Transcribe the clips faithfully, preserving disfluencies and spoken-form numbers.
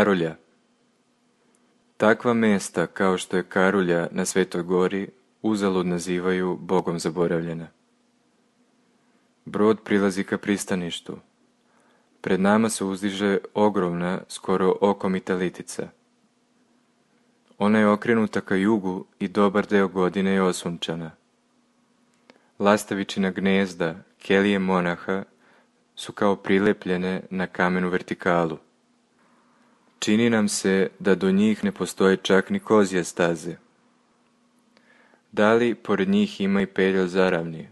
Karolja. Takva mjesta kao što je Karulja na Svetoj gori uzalud nazivaju Bogom zaboravljena. Brod prilazi ka pristaništu. Pred nama se uzdiže ogromna, skoro okomita litica. Ona je okrenuta ka jugu i dobar deo godine je osunčana. Lastavičina gnezda, kelije monaha, su kao prilepljene na kamenu vertikalu. Čini nam se da do njih ne postoje čak ni kozje staze. Da li pored njih ima i pelja zaravni?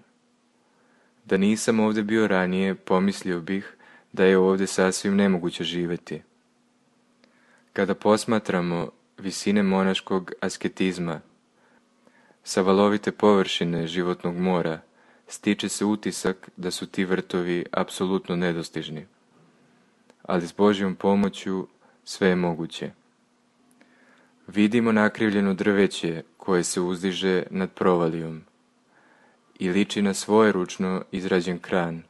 Da nisam ovdje bio ranije, pomislio bih da je ovdje sasvim nemoguće živjeti. Kada posmatramo visine monaškog asketizma, sa valovite površine životnog mora, stiče se utisak da su ti vrtovi apsolutno nedostižni. Ali s Božjom pomoću sve je moguće. Vidimo nakrivljeno drveće koje se uzdiže nad provalijom i liči na svojeručno izrađen kran.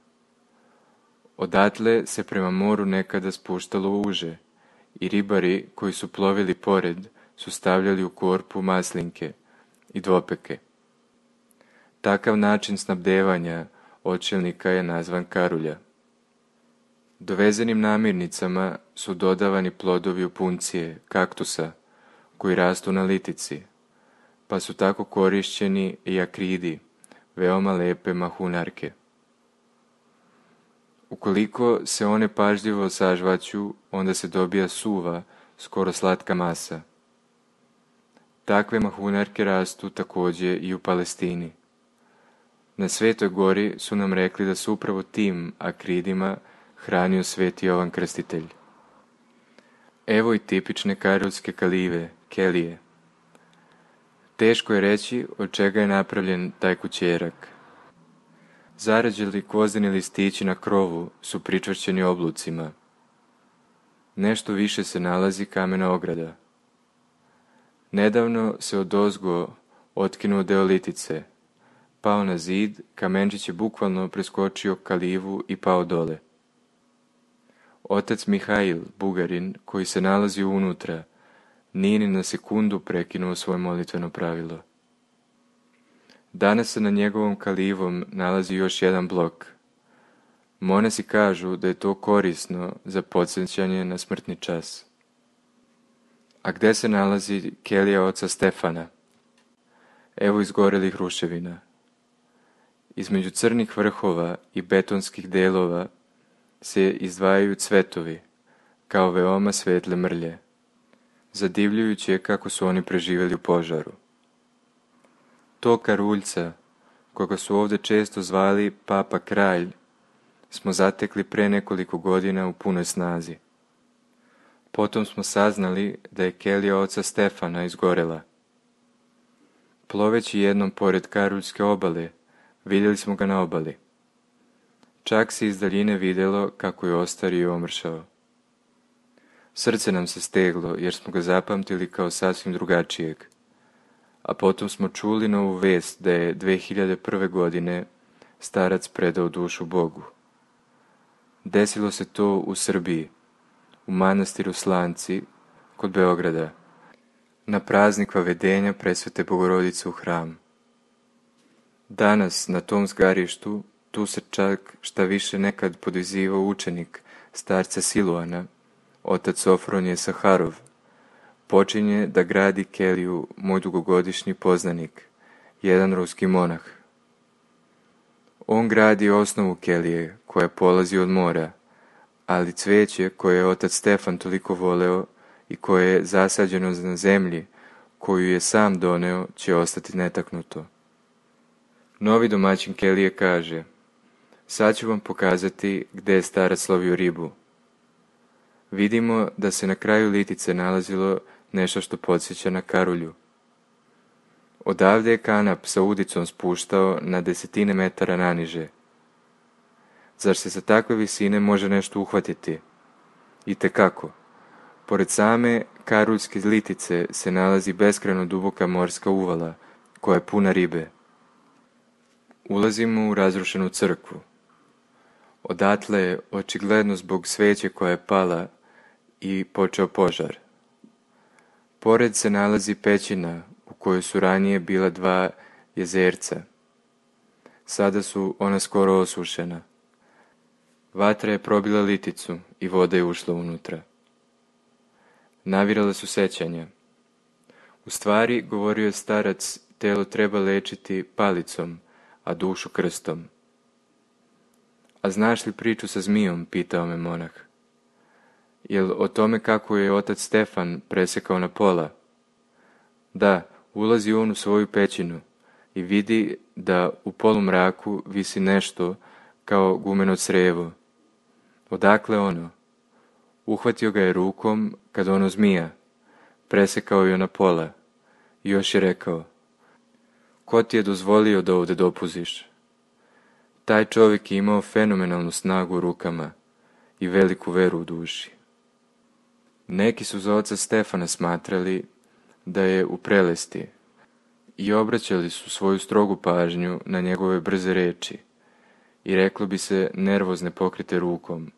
Odatle se prema moru nekada spuštalo uže i ribari koji su plovili pored su stavljali u korpu maslinke i dvopeke. Takav način snabdevanja očelnika je nazvan Karulja. Dovezenim namirnicama su dodavani plodovi opuncije, kaktusa, koji rastu na litici, pa su tako korišćeni i akridi, veoma lepe mahunarke. Ukoliko se one pažljivo sažvaću, onda se dobija suva, skoro slatka masa. Takve mahunarke rastu također i u Palestini. Na Svetoj gori su nam rekli da su upravo tim akridima hranio Sveti Jovan Krstitelj. Evo i tipične karuljske kalive, kelije. Teško je reći od čega je napravljen taj kućerak. Zarađeli gvozdeni listići na krovu su pričvršćeni oblucima. Nešto više se nalazi kamena ograda. Nedavno se odozgo otkinuo deo litice, pao na zid, kamenčić je bukvalno preskočio kalivu i pao dole. Otac Mihail, Bugarin, koji se nalazi unutra, nije ni na sekundu prekinuo svoje molitveno pravilo. Danas se na njegovom kalivom nalazi još jedan blok. Monasi kažu da je to korisno za podsjećanje na smrtni čas. A gde se nalazi kelija oca Stefana? Evo izgorelih ruševina. Između crnih vrhova i betonskih delova se izdvajaju cvetovi, kao veoma svetle mrlje. Zadivljujuće je kako su oni preživjeli u požaru. To Karuljca, koga su ovdje često zvali Papa Kralj, smo zatekli pre nekoliko godina u punoj snazi. Potom smo saznali da je kelija oca Stefana izgorela. Ploveći jednom pored Karuljske obale, vidjeli smo ga na obali. Čak se iz daljine vidjelo kako je ostario i omršao. Srce nam se steglo jer smo ga zapamtili kao sasvim drugačijeg. A potom smo čuli novu vest da je dve hiljade prve. godine starac predao dušu Bogu. Desilo se to u Srbiji, u manastiru Slanci, kod Beograda, na praznik vavedenja Presvete Bogorodice u hram. Danas na tom zgarištu tu se čak šta više nekad podizivao učenik starca Siluana, otac Sofronije Saharov, počinje da gradi keliju moj dugogodišnji poznanik, jedan ruski monah. On gradi osnovu kelije koja polazi od mora, ali cveće koje je otac Stefan toliko voleo i koje je zasađeno na zemlji koju je sam doneo će ostati netaknuto. Novi domaćin kelije kaže: sad ću vam pokazati gde je starac lovio ribu. Vidimo da se na kraju litice nalazilo nešto što podsjeća na Karulju. Odavde je kanap sa udicom spuštao na desetine metara naniže. Zar se sa takve visine može nešto uhvatiti? Itekako. Pored same Karuljske litice se nalazi beskrajno duboka morska uvala, koja je puna ribe. Ulazimo u razrušenu crkvu. Odatle je, očigledno zbog sveće koja je pala, i počeo požar. Pored se nalazi pećina u kojoj su ranije bila dva jezerca. Sada su ona skoro osušena. Vatra je probila liticu i voda je ušla unutra. Navirala su sećanja. U stvari, govorio je starac, telo treba lečiti palicom, a dušu krstom. A znaš li priču sa zmijom, pitao me monah. Jel o tome kako je otac Stefan presekao na pola? Da, ulazi on u svoju pećinu i vidi da u polumraku visi nešto kao gumeno crevo. Odakle ono? Uhvatio ga je rukom kad ono zmija, presekao je na pola i još je rekao: ko ti je dozvolio da ovdje dopuziš? Taj čovjek je imao fenomenalnu snagu u rukama i veliku veru u duši. Neki su za oca Stefana smatrali da je u prelesti i obraćali su svoju strogu pažnju na njegove brze reči i reklo bi se nervozne pokrite rukom.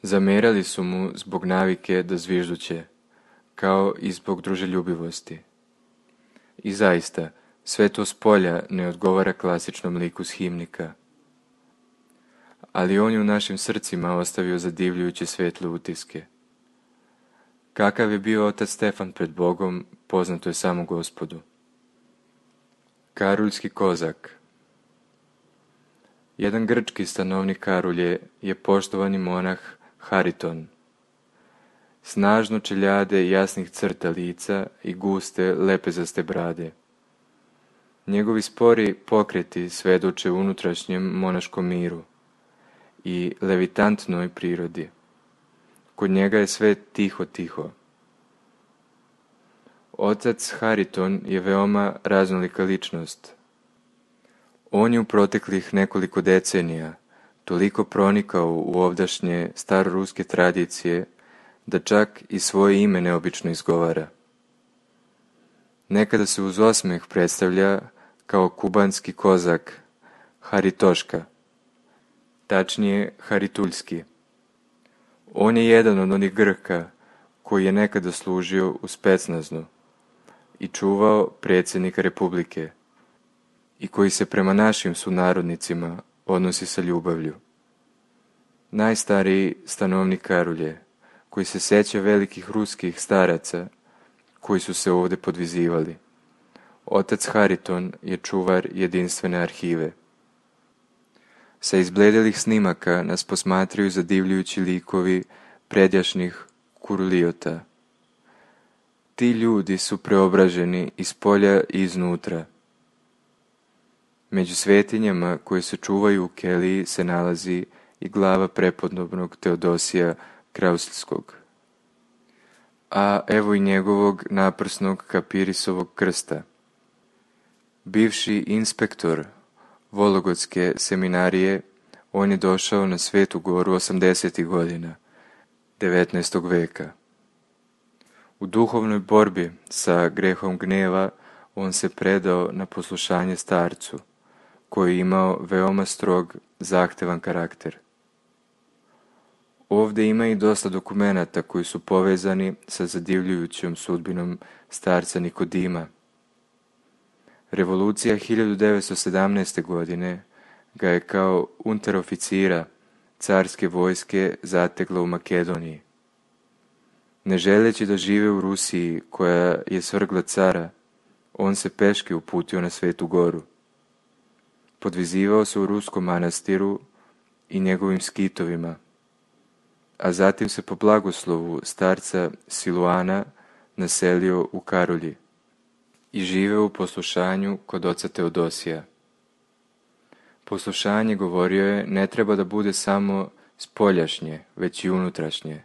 Zamerali su mu zbog navike da zvižduće, kao i zbog druželjubivosti. I zaista, sve to s polja ne odgovara klasičnom liku s himnika. Ali on je u našim srcima ostavio zadivljujuće svetle utiske. Kakav je bio otac Stefan pred Bogom, poznato je samo Gospodu. Karuljski kozak. Jedan grčki stanovnik Karulje je poštovani monah Hariton. Snažno čeljade jasnih crta lica i guste lepezaste brade. Njegovi spori pokreti svedoče unutrašnjem monaškom miru i levitantnoj prirodi. Kod njega je sve tiho, tiho. Otac Hariton je veoma raznolika ličnost. On je u proteklih nekoliko decenija toliko pronikao u ovdašnje staroruske tradicije da čak i svoje ime neobično izgovara. Nekada se uz osmeh predstavlja kao kubanski kozak Haritoška, tačnije Harituljski. On je jedan od onih Grka koji je nekada služio u Specnaznu i čuvao predsjednika Republike i koji se prema našim sunarodnicima odnosi sa ljubavlju. Najstariji stanovnik Karulje, koji se seća velikih ruskih staraca koji su se ovdje podvizivali. Otac Hariton je čuvar jedinstvene arhive. Sa izbledelih snimaka nas posmatraju zadivljujući likovi predjašnjih kurulijota. Ti ljudi su preobraženi iz polja i iznutra. Među svetinjama koje se čuvaju u keliji se nalazi i glava prepodobnog Teodosija Krausilskog. A evo i njegovog naprsnog kapirisovog krsta. Bivši inspektor Vologotske seminarije, on je došao na Svetu Goru osamdesetih godina devetnaestog veka. U duhovnoj borbi sa grehom gneva on se predao na poslušanje starcu, koji je imao veoma strog, zahtevan karakter. Ovdje ima i dosta dokumenata koji su povezani sa zadivljujućom sudbinom starca Nikodima. Revolucija hiljadu devetsto sedamnaeste. godine ga je kao unteroficira carske vojske zategla u Makedoniji. Ne želeći da žive u Rusiji koja je svrgla cara, on se peške uputio na Svetu Goru. Podvizivao se u ruskom manastiru i njegovim skitovima, a zatim se po blagoslovu starca Siluana naselio u Karulji i živeo u poslušanju kod oca Teodosija. Poslušanje, govorio je, ne treba da bude samo spoljašnje, već i unutrašnje,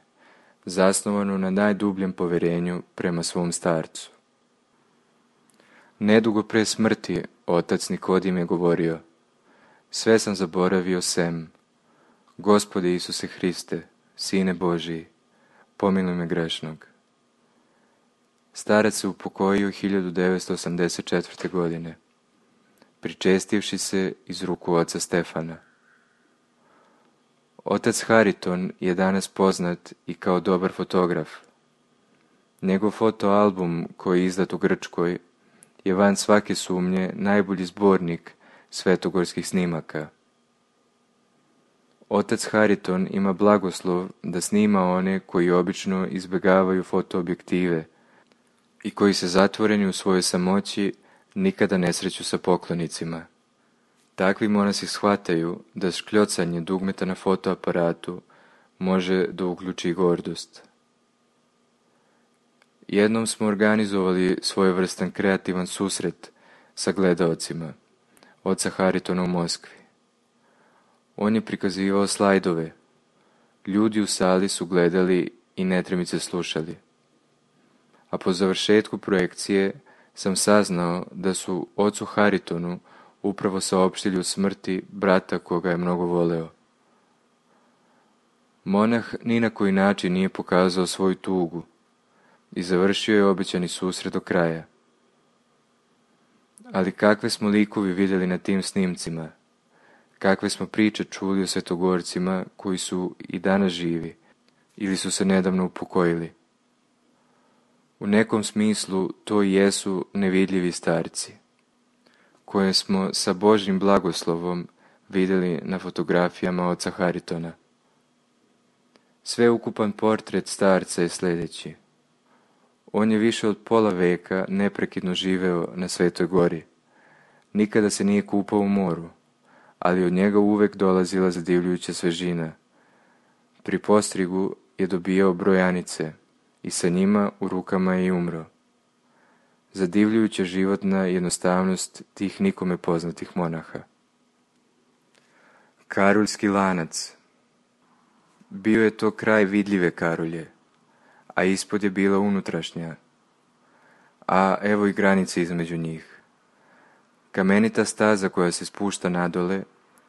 zasnovano na najdubljem poverenju prema svom starcu. Nedugo pre smrti otac Nikodim je govorio: sve sam zaboravio sem, Gospode Isuse Hriste, Sine Božiji, pomiluj me grešnog. Starac se upokojio hiljadu devetsto osamdeset četvrte. godine, pričestivši se iz ruku oca Stefana. Otac Hariton je danas poznat i kao dobar fotograf. Njegov fotoalbum koji je izdat u Grčkoj je van svake sumnje najbolji zbornik svetogorskih snimaka. Otac Hariton ima blagoslov da snima one koji obično izbjegavaju fotoobjektive i koji se zatvoreni u svojoj samoći nikada ne sreću sa poklonicima. Takvi monasi shvataju da škljocanje dugmeta na fotoaparatu može da uključi gordost. Jednom smo organizovali svojevrstan kreativan susret sa gledaocima, oca Haritona u Moskvi. On je prikazivao slajdove. Ljudi u sali su gledali i netremice slušali. A po završetku projekcije sam saznao da su ocu Haritonu upravo saopštili o smrti brata koga je mnogo voleo. Monah ni na koji način nije pokazao svoju tugu i završio je obećani susret do kraja. Ali kakve smo likovi vidjeli na tim snimcima, kakve smo priče čuli o svetogorcima koji su i danas živi ili su se nedavno upokojili. U nekom smislu to i jesu nevidljivi starci, koje smo sa Božjim blagoslovom vidjeli na fotografijama oca Haritona. Sveukupan portret starca je sljedeći. On je više od pola veka neprekidno živeo na Svetoj gori. Nikada se nije kupao u moru, ali od njega uvek dolazila zadivljujuća svežina. Pri postrigu je dobijao brojanice i sa njima u rukama je i umro. Zadivljujuća životna jednostavnost tih nikome poznatih monaha. Karuljski lanac. Bio je to kraj vidljive karulje, a ispod je bila unutrašnja, a evo i granice između njih. Kamenita staza koja se spušta nadole,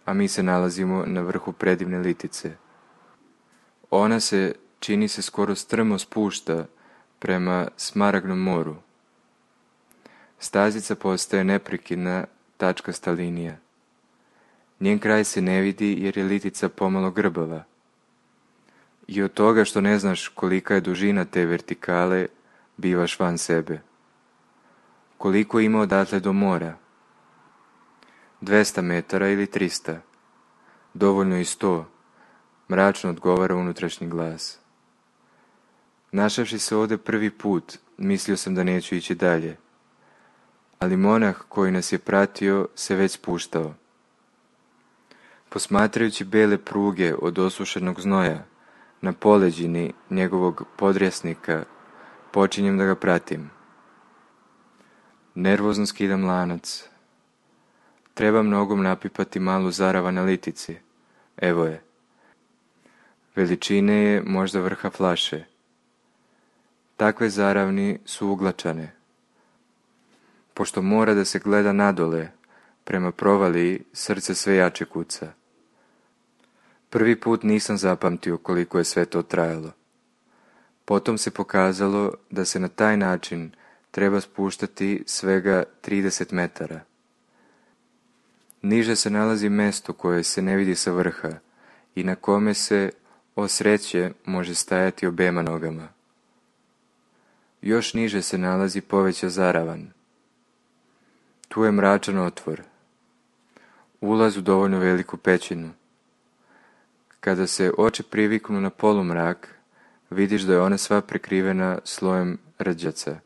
a mi se nalazimo na vrhu predivne litice. Ona se, čini se, skoro strmo spušta prema Smaragdnom moru. Stazica postaje neprekidna tačkasta linija. Njen kraj se ne vidi jer je litica pomalo grbava. I od toga što ne znaš kolika je dužina te vertikale, bivaš van sebe. Koliko ima odatle do mora? dvesta metara ili trista? Dovoljno i sto, mračno odgovara unutrašnji glas. Našavši se ovde prvi put, mislio sam da neću ići dalje. Ali monah koji nas je pratio se već spuštao. Posmatrajući bele pruge od osušenog znoja, na poleđini njegovog podrjesnika, počinjem da ga pratim. Nervozno skidam lanac. Trebam nogom napipati malu zarava na litici. Evo je. Veličine je možda vrha flaše. Takve zaravni su uglačane. Pošto mora da se gleda nadole, prema provaliji srce sve jače kuca. Prvi put nisam zapamtio koliko je sve to trajalo. Potom se pokazalo da se na taj način treba spuštati svega trideset metara. Niže se nalazi mesto koje se ne vidi sa vrha i na kome se, o sreće, može stajati obema nogama. Još niže se nalazi poveća zaravan. Tu je mračan otvor. Ulaz u dovoljno veliku pećinu. Kada se oči priviknu na polumrak, vidiš da je ona sva prekrivena slojem rđaca.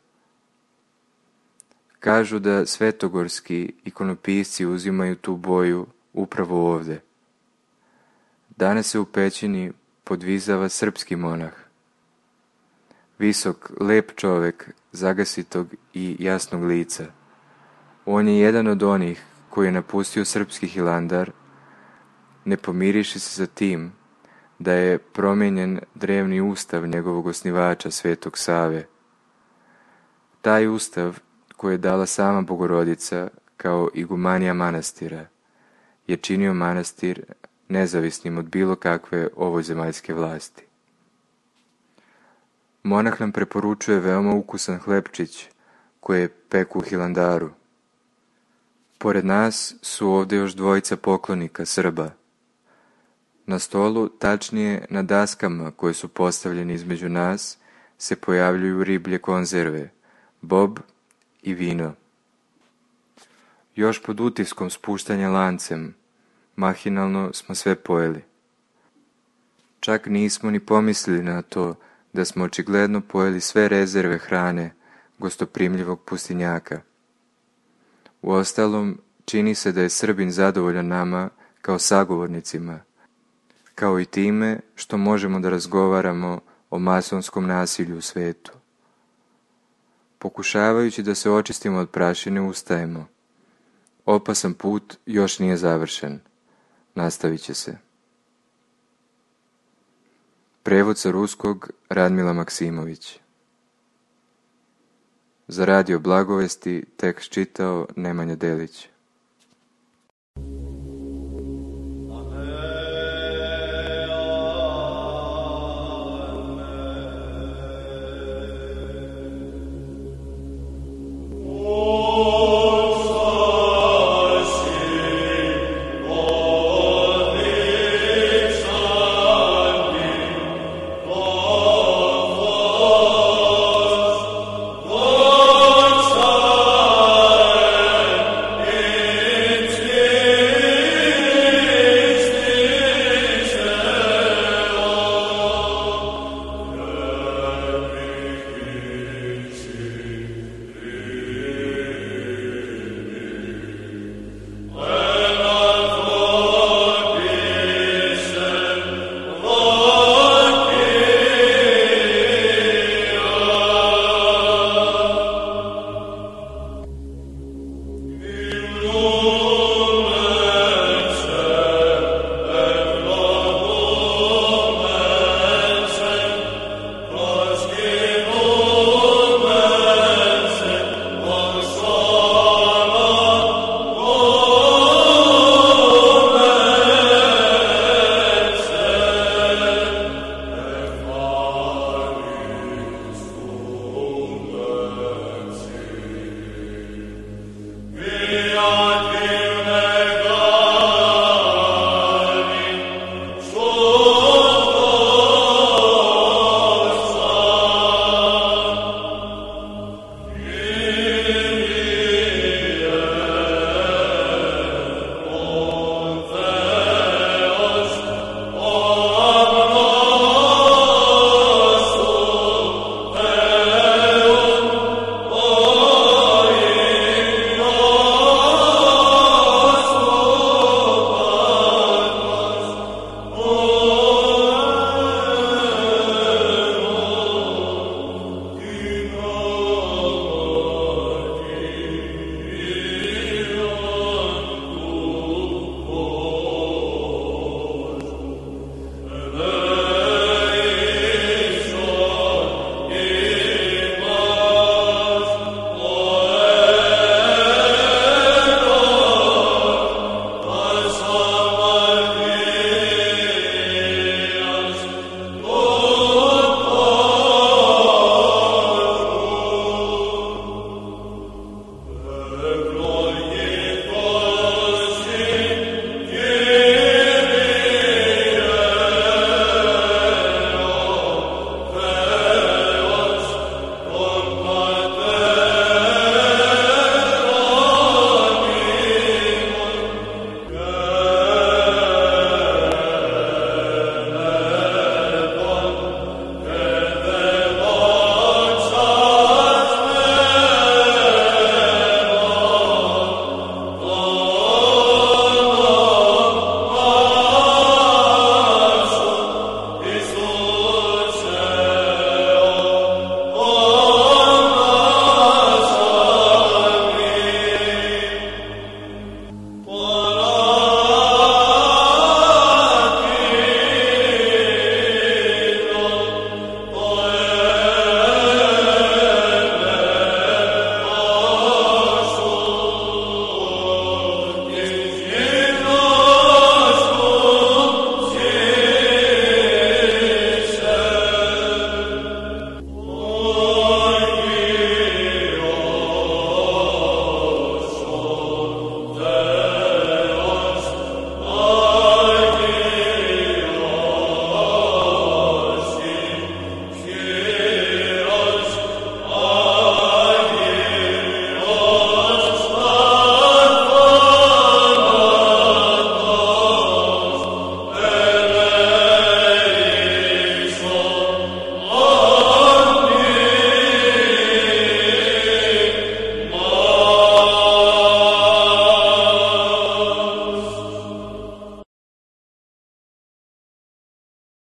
Kažu da svetogorski ikonopisci uzimaju tu boju upravo ovde. Danas se u pećini podvizava srpski monah. Visok, lep čovek, zagasitog i jasnog lica. On je jedan od onih koji je napustio srpski Hilandar, ne pomiriši se sa tim da je promijenjen drevni ustav njegovog osnivača Svetog Save. Taj ustav, koji je dala sama Bogorodica kao igumanija manastira, je činio manastir nezavisnim od bilo kakve ovozemaljske vlasti. Monah nam preporučuje veoma ukusan hlebčić koje je peku u Hilandaru. Pored nas su ovdje još dvojica poklonika Srba. Na stolu, tačnije na daskama koje su postavljene između nas, se pojavljuju riblje konzerve, bob i vino. Još pod utiskom spuštanja lancem, mahinalno smo sve pojeli. Čak nismo ni pomislili na to da smo očigledno pojeli sve rezerve hrane gostoprimljivog pustinjaka. Uostalom, čini se da je Srbin zadovoljan nama kao sagovornicima, kao i time što možemo da razgovaramo o masonskom nasilju u svetu. Pokušavajući da se očistimo od prašine, ustajemo. Opasan put još nije završen. Nastavit će se. Prevod sa ruskog Radmila Maksimović. Za Radio Blagovesti tekst čitao Nemanja Delić.